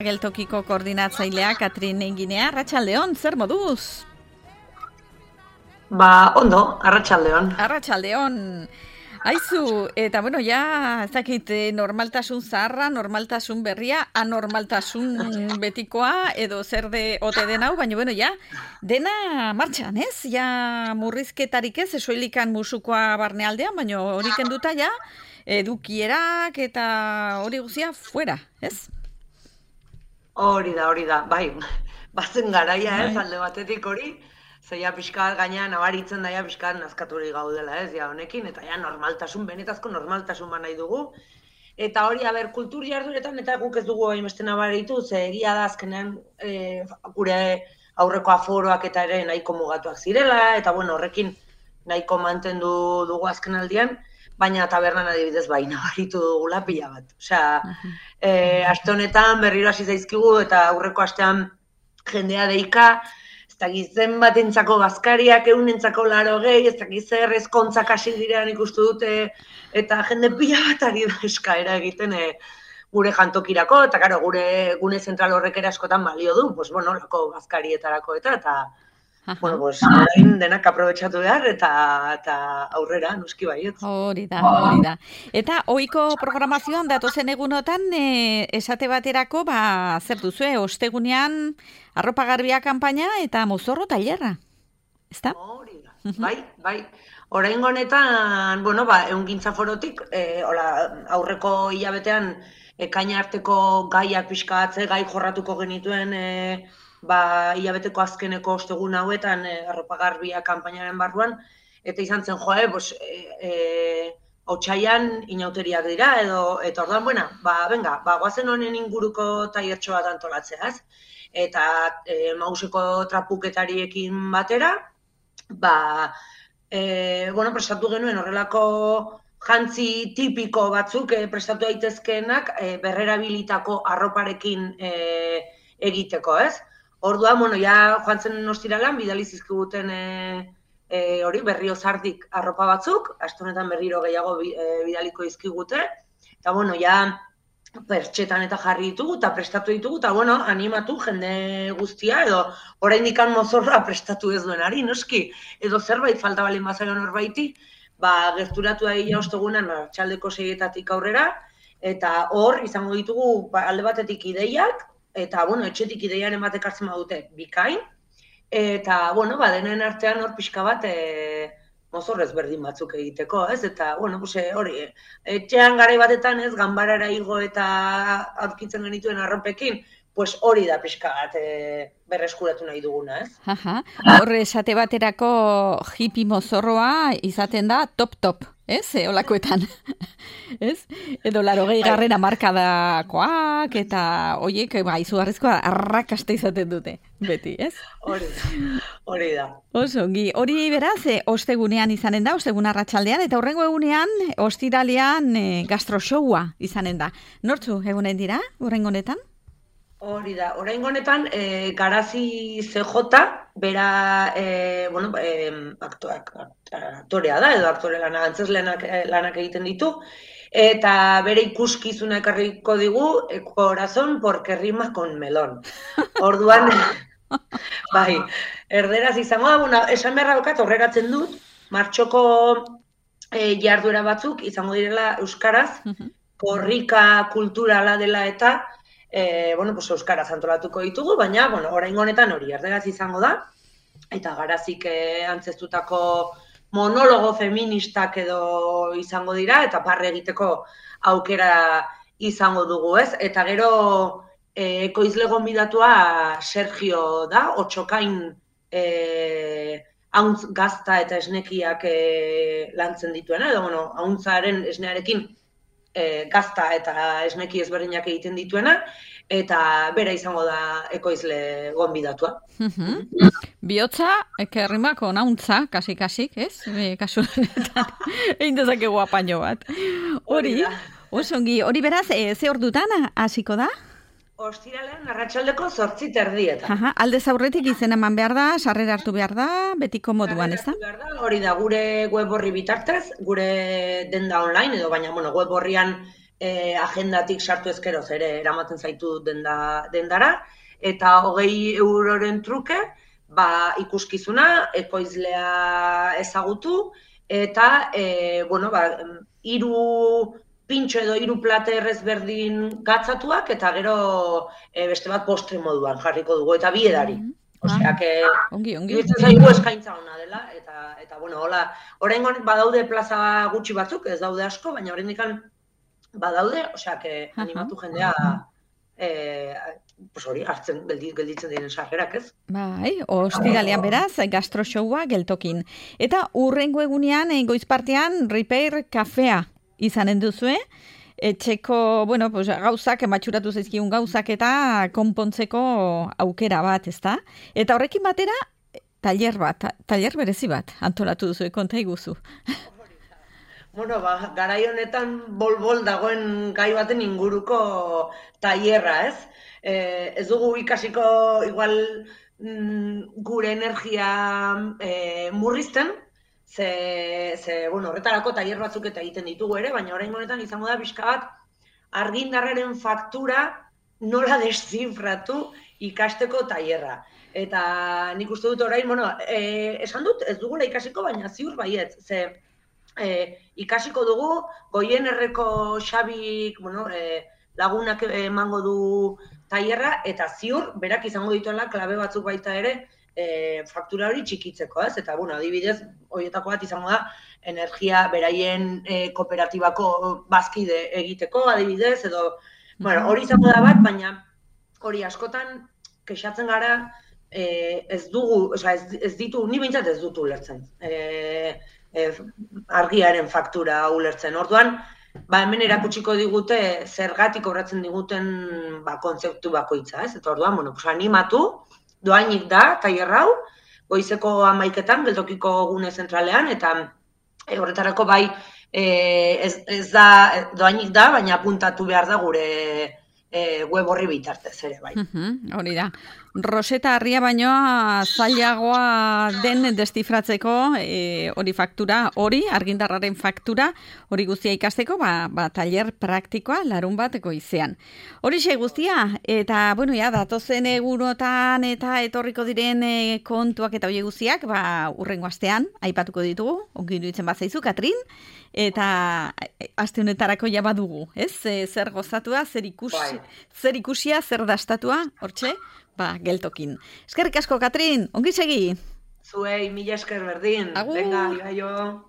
Geltokiko koordinatzailea Katrin Enginea, arratsaldeon, zer moduz? Ondo, arratsaldeon. Arratsaldeon. Aizu, eta bueno, ja, ez dakit, normaltasun zaharra, normaltasun berria, anormaltasun betikoa, edo zer ote den hau, baina bueno, ja, dena martxan, ez? Ja, murrizketarik ez, esoilikan musukoa barnealdean, baina hori kenduta ja, edukierak eta hori guzia fuera, ez? Hori da, bai, bazen garaia ez, alde batetik hori, zeia pixka gaina nabaritzen daia pixka nazkaturik gaudela ez, ja honekin, eta ja normaltasun, benetazko normaltasun nahi dugu, eta hori, kultur jarduretan, eta guk ez dugu hainbeste nabaritu, ze egia da azkenean gure aurreko aforoak eta ere nahiko mugatuak zirela, eta bueno, horrekin nahiko mantendu dugu azken aldian, baina tabernan adibidez bai nabaritu dugula pila bat. Osea, aste honetan berriro hasi zaizkigu eta aurreko astean jendea deika, ez dakit zenbatentzako bazkariak, 180, ez dakit zer ezkontzak hasi direan ikustu dute, eta jende pila bat ari da eskaera egiten gure jantokirako, eta karo, gure gune zentral horrek ere askotan balio du, pues bueno, lako bazkarietarako eta bueno, pues, orain denak aprobetxatu behar eta aurrera, noski baiet. Hori da. Eta ohiko programazioan datozen egunotan esate baterako, zer duzue, ostegunean arropa garbia kanpaina eta mozorro tailerra, ezta? Hori da, bai. Oraingo honetan, bueno, ehungintza forotik, aurreko hilabetean ekaina arteko gaiak pixkatze, gai jorratuko genituen hilabeteko azkeneko ostegun hauetan arropa garbia kanpainaren barruan, eta izan zen otsaian inauteriak dira, eta orduan, goazen honen inguruko tailertxo bat antolatzea, ez? Eta mauseko trapuketariekin batera, prestatu genuen horrelako jantzi tipiko batzuk prestatu daitezkeenak berrerabilitako arroparekin egiteko, ez? Orduan, joan zen ostiralan, bidali zizkiguten hori berriozardik arropa batzuk, aste honetan berriro gehiago bidaliko izkigute, eta pertxetan eta jarri ditugu, eta prestatu ditugu, eta animatu jende guztia, edo oraindik mozorra prestatu ez duenari, noski, edo zerbait falta balin bazaion horbaiti, gerturatu da ia ostegunan arratsaldeko 6:00 aurrera, eta hor izango ditugu alde batetik ideiak, eta, etxetik ideiaren batek hartzen badute bikain, eta, denen artean hor pixka bat mozorrez berdin batzuk egiteko, ez? Eta, hori, etxean garai batetan ez, ganbarara igo eta aurkitzen genituen arropekin, pues hori da pixka bat berreskuratu nahi duguna, ez? Hor esate baterako hippie mozorroa izaten da top, ez? Olakoetan, ez? Edo 80. hamarkadakoak eta horiek izugarrizkoa arrakasta izaten dute, beti, ez? Hori da. Oso ongi, hori beraz, ostegunean izanen da, ostegun arratsaldean, eta horrengo egunean, ostiralean gastroshowa izanen da. Nortzu egunen dira, horrengo honetan? Hori da, oraingo honetan, Garazi CJ, bera, aktorea da, edo aktore lanak egiten ditu, eta bere ikuskizuna ekarriko digu, corazón porque rima con melón. Orduan, erderaz izango da, esan beharra daukat, horregatzen dut, martxoko jarduera batzuk izango direla euskaraz, korrika kulturala dela eta, euskaraz antolatuko ditugu, baina, oraingo honetan hori erderaz izango da, eta Garazik antzeztutako monologo feministak edo izango dira, eta parre egiteko aukera izango dugu, ez? Eta gero ekoizle gonbidatua Sergio da, Otxokain hauntz gazta eta esnekiak lantzen dituena, edo, hauntzaren esnearekin gazta eta esneki ezberdinak egiten dituena, eta bera izango da ekoizle gonbidatua. Bihotza, ekerrimako nauntza, kasik, ez? Kasu honetan, egin dezakegu apaino bat. Hori, osongi, hori beraz, ze ordutan hasiko da? Ostiralean arratsaldeko 8:30. Aldez aurretik izena eman behar da, sarrera hartu behar da, betiko moduan, ez da? Hori da, gure web horri bitartez, gure denda online, edo baina web horrian agendatik sartu ezkero ere eramaten zaitu dendara, eta 20 euroren truke, ikuskizuna, ekoizlea ezagutu, eta, hiru pintxo edo 3 plater ezberdin gatzatuak, eta gero beste bat postre moduan jarriko dugu, eta bi edari. Osea, ongi. Iruditzen zaigu eskaintza ona dela, eta hola, oraingoan badaude plaza gutxi batzuk, ez daude asko, baina oraindik badaude, osea, animatu jendea, hori, hartzen gelditzen diren sarrerak, ez? Bai, ostiralean beraz, gastroshowa geltokin. Eta hurrengo egunean, goiz partean, Repair kafea izanen duzue, etxeko, gauzak, matxuratu zaizkigun gauzak eta konpontzeko aukera bat, ezta? Eta horrekin batera, taller berezi bat, antolatu duzu, konta iguzu. Garai honetan bol-bol dagoen gai baten inguruko tailerra, ez? Ez dugu ikasiko igual gure energia murrizten, horretarako tailer batzuk eta egiten ditugu ere, baina orain honetan izango da pixka bat argindarraren faktura nola deszifratu ikasteko tailerra. Eta nik uste dut orain, esan dut ez dugula ikasiko, baina ziur baietz, ikasiko dugu, Goienerreko Xabik lagunak emango du tailerra, eta ziur, berak izango dituela klabe batzuk baita ere, faktura hori txikitzeko, ez? Eta, adibidez, horietako bat izango da, energia beraien kooperatibako bazkide egiteko, adibidez, edo, hori izango da bat, baina hori askotan kexatzen gara, ez dugu, ez ditu, ni behintzat ez dut ulertzen. Argiaren faktura ulertzen. Orduan, hemen erakutsiko digute zergatik kobratzen diguten kontzeptu bakoitza, ez? Eta orduan, animatu, doainik da, tailer hau, goizeko 11etan, geltokiko gune zentralean, eta horretarako ez da, doainik da, baina apuntatu behar da gure web horri bitartez ere, bai. Hori da. Roseta harria baino zailagoa den deszifratzeko hori faktura, argindarraren faktura, hori guztia ikasteko, tailer praktikoa larun bat goizean. Horixe guztia, eta, datozen egunotan eta etorriko diren kontuak eta hori guztiak, hurrengo astean, aipatuko ditugu, ongi iruditzen bazaizu, Katrin, eta aste honetarako ja badugu, ez? Zer gozatua, zer ikusia, zer dastatua, hortxe? Geltokin. Eskerrik asko, Katrin, ongi segi? Zuei, mila esker berdin. Agur. Venga, ibaio.